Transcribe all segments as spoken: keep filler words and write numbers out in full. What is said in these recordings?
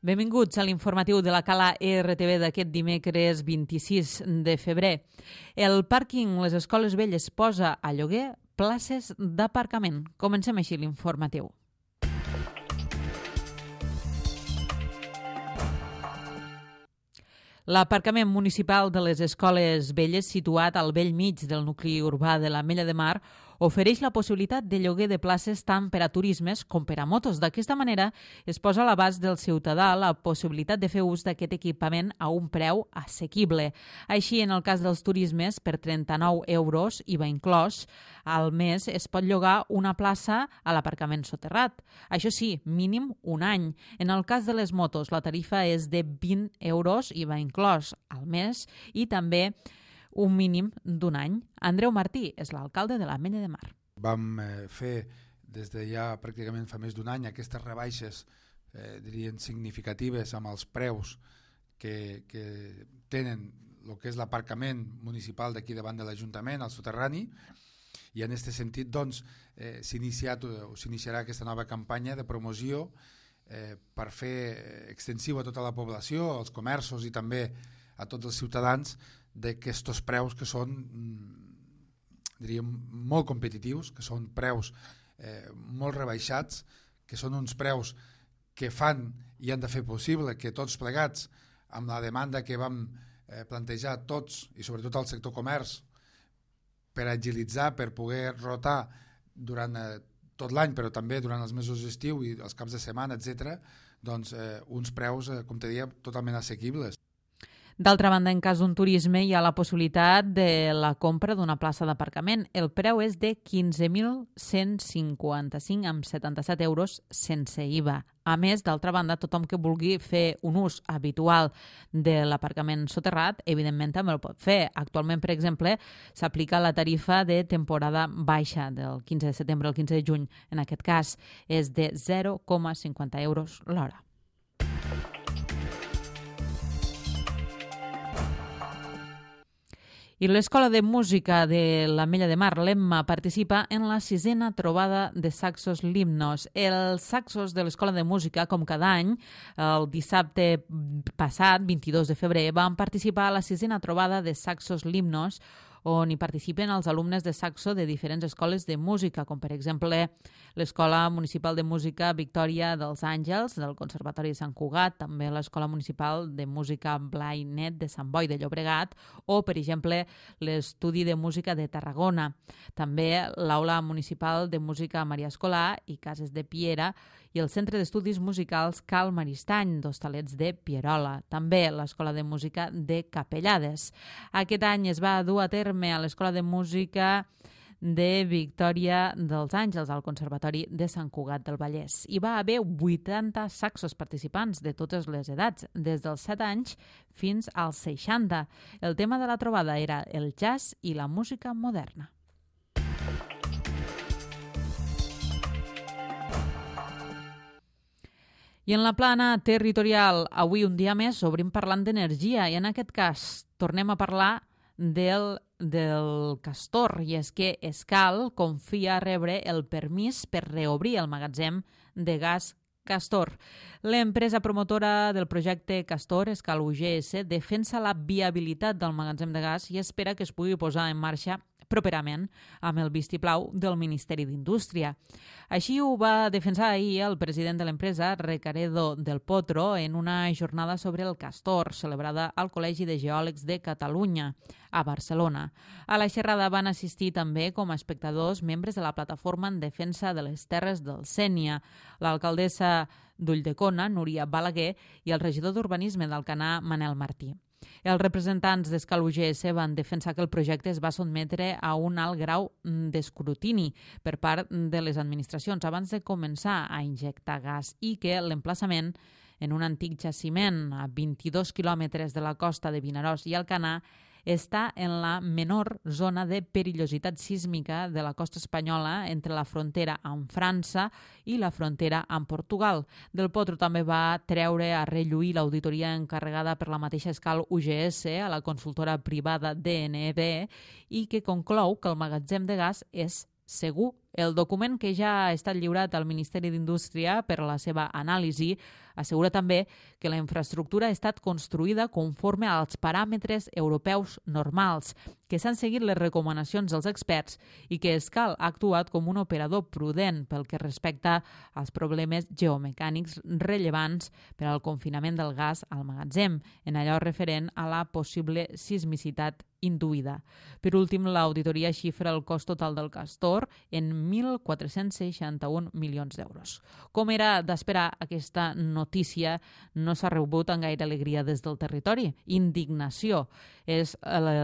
Benvinguts a l'informatiu de la Cala R T V d'aquest dimecres vint-i-sis de febrer. El pàrquing Les Escoles Velles posa a lloguer places d'aparcament. Comencem així l'informatiu. L'aparcament municipal de les Escoles Velles, situat al bell mig del nucli urbà de l'Ametlla de Mar, ofereix la possibilitat de lloguer de places tant per a turismes com per a motos. D'aquesta manera es posa a l'abast del ciutadà la possibilitat de fer ús d'aquest equipament a un preu assequible. Així, en el cas dels turismes, per trenta-nou euros, I V A inclòs, al mes es pot llogar una plaça a l'aparcament soterrat. Això sí, mínim un any. En el cas de les motos, la tarifa és de vint euros, I V A inclòs, al mes, i també un mínim d'un any. Andreu Martí és l'alcalde de l'Ametlla de Mar. Vam eh, fer des de ja pràcticament fa més d'un any aquestes rebaixes eh, dirien significatives amb els preus que, que tenen el que és l'aparcament municipal d'aquí davant de l'Ajuntament, al soterrani, i en aquest sentit doncs, eh, s'ha iniciat o s'iniciarà aquesta nova campanya de promoció eh, per fer extensiu a tota la població, als comerços i també a tots els ciutadans d'aquests preus que són diríem molt competitius, que són preus eh, molt rebaixats, que són uns preus que fan i han de fer possible que tots plegats, amb la demanda que vam eh, plantejar tots i sobretot al sector comerç, per agilitzar, per poder rotar durant eh, tot l'any, però també durant els mesos d'estiu i els caps de setmana, etcètera, doncs eh, uns preus, eh, com te deia, totalment assequibles. D'altra banda, en cas d'un turisme, hi ha la possibilitat de la compra d'una plaça d'aparcament. El preu és de quinze mil cent cinquanta-cinc amb setanta-set euros sense I V A. A més, d'altra banda, tothom que vulgui fer un ús habitual de l'aparcament soterrat, evidentment també el pot fer. Actualment, per exemple, s'aplica la tarifa de temporada baixa del quinze de setembre al quinze de juny. En aquest cas, és de zero coma cinquanta euros l'hora. I l'Escola de Música de l'Ametlla de Mar, l'Emma, participa en la sisena trobada de saxos limnos. Els saxos de l'Escola de Música, com cada any, el dissabte passat, vint-i-dos de febrer, van participar a la sisena trobada de saxos limnos, on hi participen els alumnes de saxo de diferents escoles de música, com per exemple l'Escola Municipal de Música Victòria dels Àngels, del Conservatori de Sant Cugat, també l'Escola Municipal de Música Blai Net de Sant Boi de Llobregat, o, per exemple, l'Estudi de Música de Tarragona. També l'Aula Municipal de Música Maria Escolà i Cases de Piera i el Centre d'Estudis Musicals Cal Maristany, d'Hostalets de Pierola. També l'Escola de Música de Capellades. Aquest any es va dur a terme a l'Escola de Música de Victòria dels Àngels, al Conservatori de Sant Cugat del Vallès. Hi va haver vuitanta saxos participants de totes les edats, des dels set anys fins als seixanta. El tema de la trobada era el jazz i la música moderna. I en la plana territorial, avui un dia més, obrim parlant d'energia i en aquest cas tornem a parlar del, del Castor, i és que Escal confia rebre el permís per reobrir el magatzem de gas Castor. L'empresa promotora del projecte Castor, Escal U G S, defensa la viabilitat del magatzem de gas i espera que es pugui posar en marxa properament amb el vistiplau del Ministeri d'Indústria. Així ho va defensar ahir el president de l'empresa, Recaredo del Potro, en una jornada sobre el Castor, celebrada al Col·legi de Geòlegs de Catalunya, a Barcelona. A la xerrada van assistir també com a espectadors membres de la plataforma en defensa de les terres del Sénia, l'alcaldessa d'Ulldecona, Núria Balaguer, i el regidor d'Urbanisme d'Alcanar, Manel Martí. Els representants d'Escal U G S van defensar que el projecte es va sotmetre a un alt grau d'escrutini per part de les administracions abans de començar a injectar gas i que l'emplaçament en un antic jaciment a vint-i-dos quilòmetres de la costa de Vinaròs i Alcanar està en la menor zona de perillositat sísmica de la costa espanyola entre la frontera amb França i la frontera amb Portugal. Del Potro també va treure a relluir l'auditoria encarregada per la mateixa Escal U G S a la consultora privada D N B i que conclou que el magatzem de gas és segur. El document que ja ha estat lliurat al Ministeri d'Indústria per a la seva anàlisi assegura també que la infraestructura ha estat construïda conforme als paràmetres europeus normals, que s'han seguit les recomanacions dels experts i que Escal ha actuat com un operador prudent pel que respecta als problemes geomecànics rellevants per al confinament del gas al magatzem, en allò referent a la possible sismicitat induïda. Per últim, l'auditoria xifra el cost total del Castor en mil quatre-cents seixanta-un milions d'euros. Com era d'esperar, aquesta notícia no s'ha rebut amb gaire alegria des del territori. Indignació és la,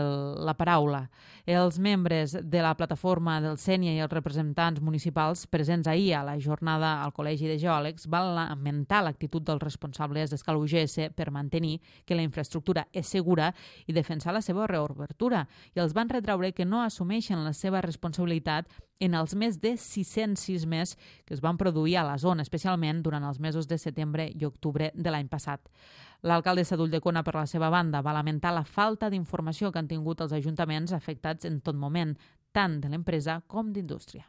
la paraula. Els membres de la plataforma del Sénia i els representants municipals presents ahir a la jornada al Col·legi de Geòlegs van lamentar l'actitud dels responsables d'Escal U G S per mantenir que la infraestructura és segura i defensar la seva reobertura, i els van retraure que no assumeixen la seva responsabilitat en els més de sis-cents sismes que es van produir a la zona, especialment durant els mesos de setembre i octubre de l'any passat. L'alcaldessa d'Ulldecona, per la seva banda, va lamentar la falta d'informació que han tingut els ajuntaments afectats en tot moment, tant de l'empresa com d'indústria.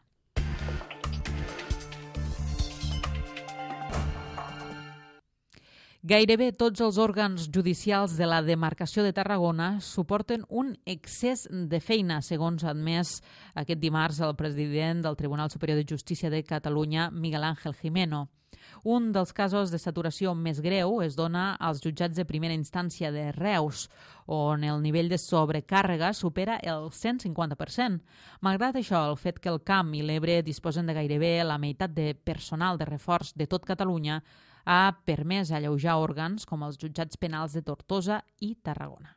Gairebé tots els òrgans judicials de la demarcació de Tarragona suporten un excés de feina, segons ha admès aquest dimarts el president del Tribunal Superior de Justícia de Catalunya, Miguel Ángel Jimeno. Un dels casos de saturació més greu es dona als jutjats de primera instància de Reus, on el nivell de sobrecàrrega supera el cent cinquanta per cent. Malgrat això, el fet que el Camp i l'Ebre disposen de gairebé la meitat de personal de reforç de tot Catalunya ha permès alleujar òrgans com els jutjats penals de Tortosa i Tarragona.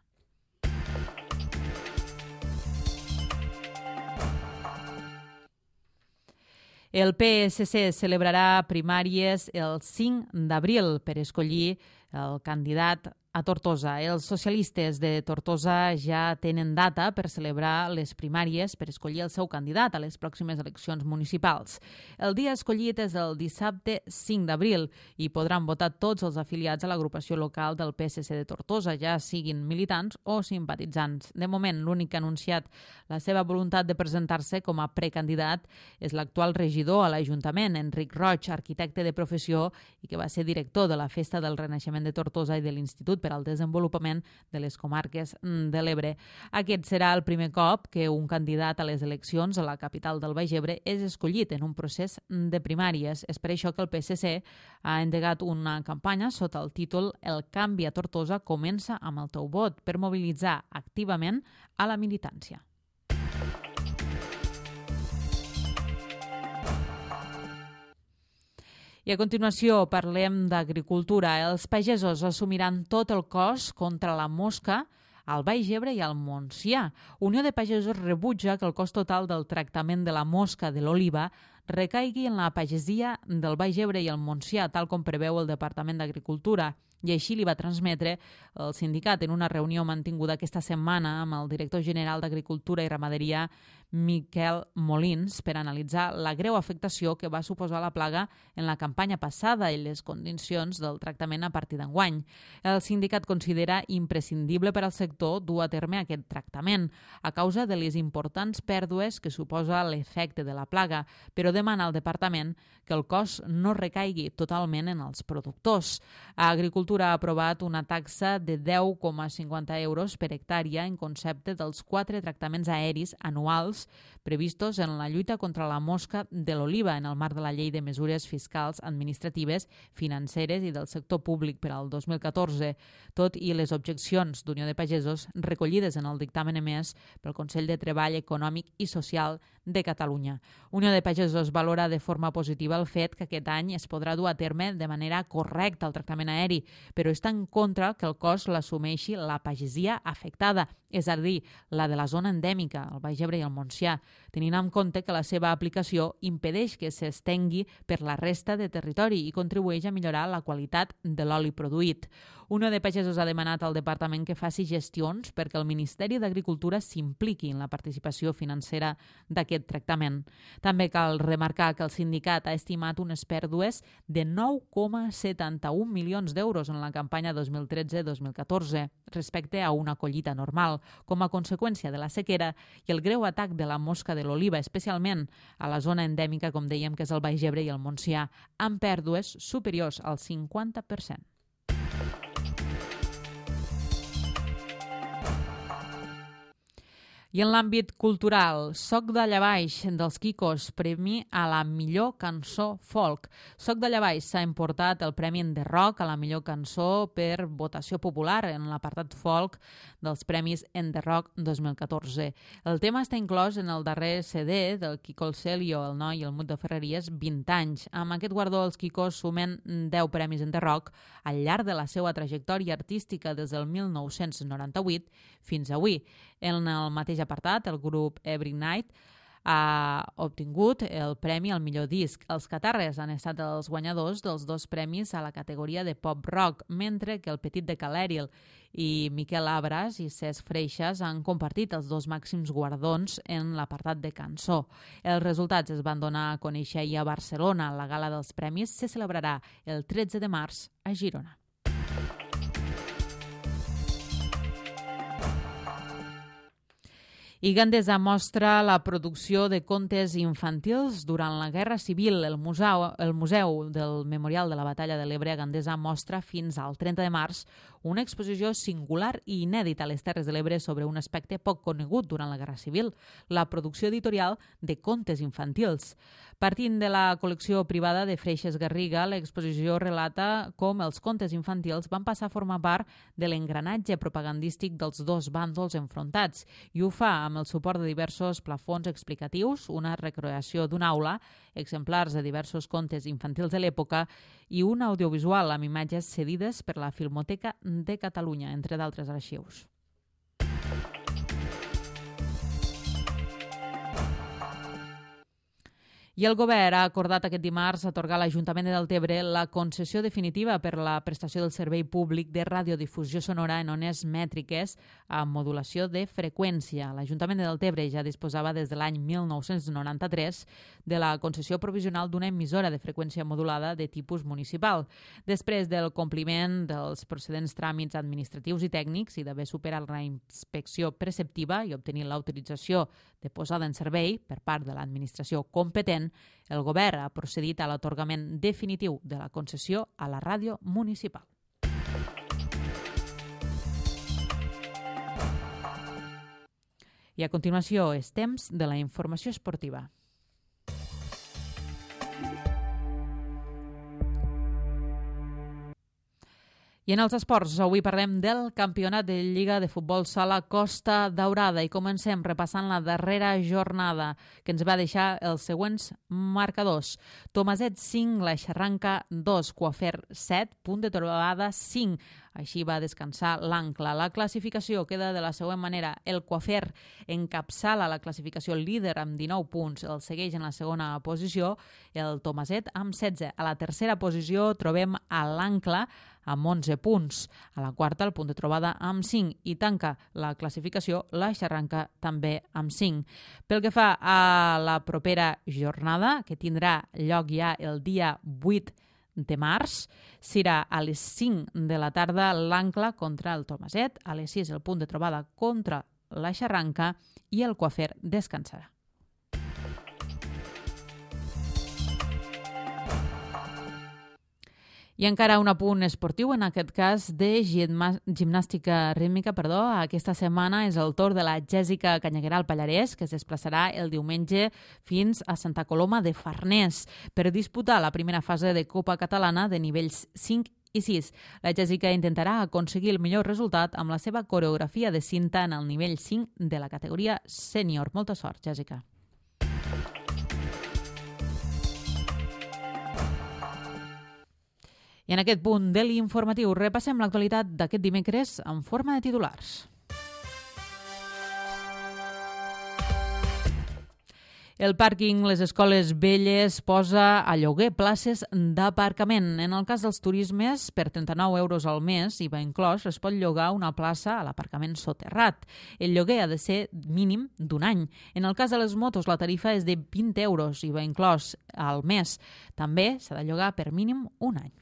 El P S C celebrarà primàries el cinc d'abril per escollir el candidat a Tortosa. Els socialistes de Tortosa ja tenen data per celebrar les primàries per escollir el seu candidat a les pròximes eleccions municipals. El dia escollit és el dissabte cinc d'abril i podran votar tots els afiliats a l'agrupació local del P S C de Tortosa, ja siguin militants o simpatitzants. De moment, l'únic que ha anunciat la seva voluntat de presentar-se com a precandidat és l'actual regidor a l'Ajuntament, Enric Roig, arquitecte de professió i que va ser director de la Festa del Renaixement de Tortosa i de l'Institut per al Desenvolupament de les Comarques de l'Ebre. Aquest serà el primer cop que un candidat a les eleccions a la capital del Baix Ebre és escollit en un procés de primàries. És per això que el P S C ha endegat una campanya sota el títol El canvi a Tortosa comença amb el teu vot, per mobilitzar activament a la militància. I a continuació parlem d'agricultura. Els pagesos assumiran tot el cost contra la mosca al Baix Ebre i al Montsià. Unió de Pagesos rebutja que el cost total del tractament de la mosca de l'oliva recaigui en la pagesia del Baix Ebre i el Montsià, tal com preveu el Departament d'Agricultura. I així li va transmetre el sindicat en una reunió mantinguda aquesta setmana amb el director general d'Agricultura i Ramaderia, Miquel Molins, per analitzar la greu afectació que va suposar la plaga en la campanya passada i les condicions del tractament a partir d'enguany. El sindicat considera imprescindible per al sector dur a terme aquest tractament a causa de les importants pèrdues que suposa l'efecte de la plaga, però demana al departament que el cost no recaigui totalment en els productors. Agricultura ha aprovat una taxa de deu coma cinquanta euros per hectàrea en concepte dels quatre tractaments aeris anuals previstos en la lluita contra la mosca de l'oliva en el marc de la Llei de Mesures Fiscals, Administratives, Financeres i del Sector Públic per al dos mil catorze, tot i les objeccions d'Unió de Pagesos recollides en el dictamen emès pel Consell de Treball Econòmic i Social de Catalunya. Unió de Pagesos valora de forma positiva el fet que aquest any es podrà dur a terme de manera correcta el tractament aeri, però està en contra que el cost l'assumeixi la pagesia afectada, és a dir, la de la zona endèmica, el Baix Ebre i el Montsià, tenint en compte que la seva aplicació impedeix que s'estengui per la resta de territori i contribueix a millorar la qualitat de l'oli produït. Unió de Pagesos ha demanat al departament que faci gestions perquè el Ministeri d'Agricultura s'impliqui en la participació financera d'aquest tractament. També cal remarcar que el sindicat ha estimat unes pèrdues de nou coma setanta-un milions d'euros en la campanya dos mil tretze dos mil catorze respecte a una collita normal, com a conseqüència de la sequera i el greu atac de la mosca de l'oliva, especialment a la zona endèmica, com dèiem, que és el Baix Ebre i el Montsià, amb pèrdues superiors al cinquanta per cent. I en l'àmbit cultural, Soc d'allà baix dels Quicos, premi a la millor cançó folk. Soc d'allà baix s'ha emportat el premi en The Rock a la millor cançó per votació popular en l'apartat folk dels premis en The Rock dos mil catorze. El tema està inclòs en el darrer C D del Quico el Celio, el noi i el Mut de Ferreries, vint anys. Amb aquest guardó els Quicos sumen deu premis en The Rock al llarg de la seva trajectòria artística des del mil nou-cents noranta-vuit fins avui. En el mateix apartat, el grup Every Night ha obtingut el premi al millor disc. Els Catarres han estat els guanyadors dels dos premis a la categoria de pop rock, mentre que el Petit de Calèril i Miquel Abras i Cesc Freixas han compartit els dos màxims guardons en l'apartat de cançó. Els resultats es van donar a conèixer ahir a Barcelona. La gala dels premis se celebrarà el tretze de març a Girona. I Gandesa mostra la producció de contes infantils durant la Guerra Civil. El museu, el museu del Memorial de la Batalla de l'Ebre a Gandesa mostra fins al trenta de març una exposició singular i inèdita a les Terres de l'Ebre sobre un aspecte poc conegut durant la Guerra Civil, la producció editorial de contes infantils. Partint de la col·lecció privada de Freixas Garriga, l'exposició relata com els contes infantils van passar a formar part de l'engranatge propagandístic dels dos bàndols enfrontats i ho fa amb el suport de diversos plafons explicatius, una recreació d'una aula, exemplars de diversos contes infantils de l'època i un audiovisual amb imatges cedides per la Filmoteca de Catalunya, entre d'altres arxius. I el govern ha acordat aquest dimarts atorgar a l'Ajuntament de Deltebre la concessió definitiva per la prestació del servei públic de radiodifusió sonora en ones mètriques amb modulació de freqüència. L'Ajuntament de Deltebre ja disposava des de l'any mil nou-cents noranta-tres de la concessió provisional d'una emissora de freqüència modulada de tipus municipal. Després del compliment dels procedents tràmits administratius i tècnics i d'haver superat la inspecció preceptiva i obtenir l'autorització de posada en servei per part de l'administració competent, el govern ha procedit a l'atorgament definitiu de la concessió a la ràdio municipal. I a continuació és temps de la informació esportiva. I en els esports, avui parlem del campionat de Lliga de Futbol Sala Costa Daurada i comencem repassant la darrera jornada que ens va deixar els següents marcadors. Tomaset cinc, la Xarranca dos, Coafer set, Punt de Trobada cinc. Així va descansar l'Ancla. La classificació queda de la següent manera. El Coafer encapçala la classificació líder amb dinou punts. El segueix en la segona posició el Tomaset amb setze. A la tercera posició trobem a l'Ancla amb onze punts. A la quarta, el Punt de Trobada amb cinc i tanca la classificació la Xarranca també amb cinc. Pel que fa a la propera jornada, que tindrà lloc ja el dia vuit de març, serà a les cinc de la tarda l'Ancla contra el Tomaset, a les sis el Punt de Trobada contra la Xarranca i el Coafer descansarà. I encara un apunt esportiu, en aquest cas de gimnàstica rítmica, perdó. Aquesta setmana és el torn de la Jèssica Canyagueral Pallarès, que es desplaçarà el diumenge fins a Santa Coloma de Farners per disputar la primera fase de Copa Catalana de nivells cinc i sis. La Jèssica intentarà aconseguir el millor resultat amb la seva coreografia de cinta en el nivell cinc de la categoria sènior. Molta sort, Jèssica. I en aquest punt de l'informatiu repassem l'actualitat d'aquest dimecres en forma de titulars. El pàrquing Les Escoles Velles posa a lloguer places d'aparcament. En el cas dels turismes, per trenta-nou euros al mes, I V A inclòs, es pot llogar una plaça a l'aparcament soterrat. El lloguer ha de ser mínim d'un any. En el cas de les motos, la tarifa és de vint euros, I V A inclòs, al mes. També s'ha de llogar per mínim un any.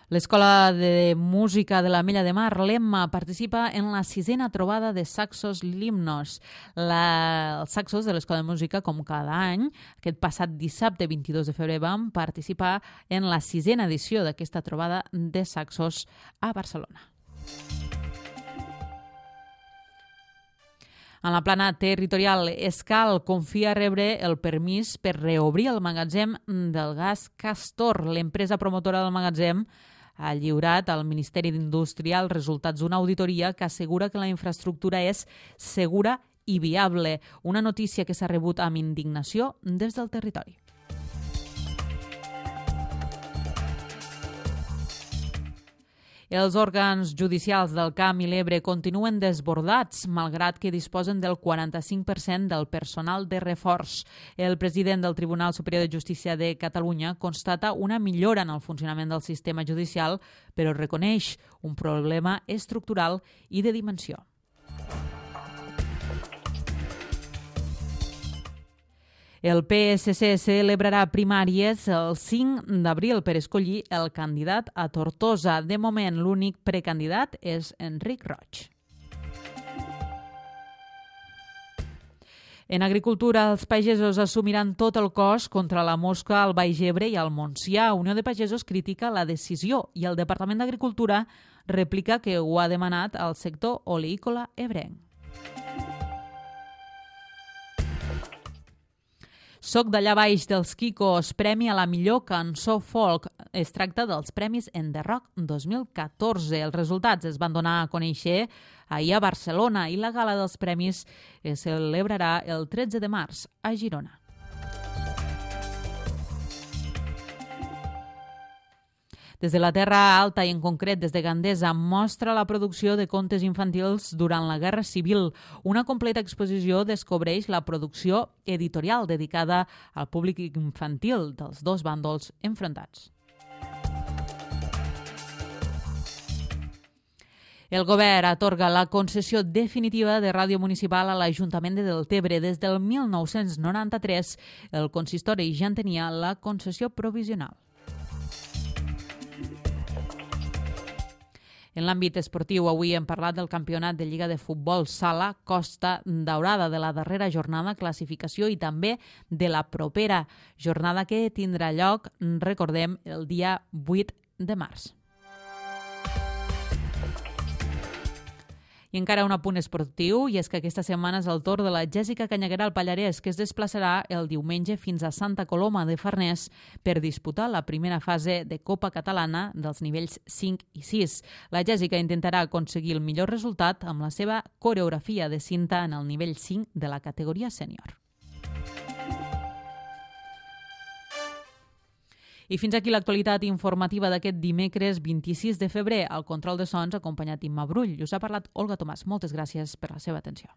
L'Escola de Música de l'Ametlla de Mar, l'Emma, participa en la sisena trobada de saxos Limnos. La... Els saxos de l'Escola de Música, com cada any, aquest passat dissabte vint-i-dos de febrer van participar en la sisena edició d'aquesta trobada de saxos a Barcelona. En la plana territorial, Escal confia rebre el permís per reobrir el magatzem del gas Castor. L'empresa promotora del magatzem ha lliurat al Ministeri d'Indústria els resultats d'una auditoria que assegura que la infraestructura és segura i viable, una notícia que s'ha rebut amb indignació des del territori. Els òrgans judicials del Camp i l'Ebre continuen desbordats, malgrat que disposen del quaranta-cinc per cent del personal de reforç. El president del Tribunal Superior de Justícia de Catalunya constata una millora en el funcionament del sistema judicial, però reconeix un problema estructural i de dimensió. El P S C celebrarà primàries el cinc d'abril per escollir el candidat a Tortosa. De moment, l'únic precandidat és Enric Roig. En agricultura, els pagesos assumiran tot el cost contra la mosca al Baix Ebre i al Montsià. Unió de Pagesos critica la decisió i el Departament d'Agricultura replica que ho ha demanat al sector oleícola ebrenc. Soc d'allà baix dels Kikos, premi a la millor cançó folk. Es tracta dels Premis en The Rock dos mil catorze. Els resultats es van donar a conèixer ahir a Barcelona i la gala dels premis es celebrarà el tretze de març a Girona. Des de la Terra Alta i en concret des de Gandesa mostra la producció de contes infantils durant la Guerra Civil. Una completa exposició descobreix la producció editorial dedicada al públic infantil dels dos bàndols enfrontats. El govern atorga la concessió definitiva de ràdio municipal a l'Ajuntament de Deltebre. Des del mil nou-cents noranta-tres, el consistori ja en tenia la concessió provisional. En l'àmbit esportiu, avui hem parlat del campionat de Lliga de Futbol Sala Costa Daurada, de la darrera jornada classificació i també de la propera jornada que tindrà lloc, recordem, el dia vuit de març. I encara un apunt esportiu, i és que aquesta setmana és el torn de la Jèssica Canyaguera al Pallarès, que es desplaçarà el diumenge fins a Santa Coloma de Farners per disputar la primera fase de Copa Catalana dels nivells cinc i sis. La Jèssica intentarà aconseguir el millor resultat amb la seva coreografia de cinta en el nivell cinc de la categoria sènior. I fins aquí l'actualitat informativa d'aquest dimecres vint-i-sis de febrer. Al control de sons, acompanyat Imma Brull. Us ha parlat Olga Tomàs. Moltes gràcies per la seva atenció.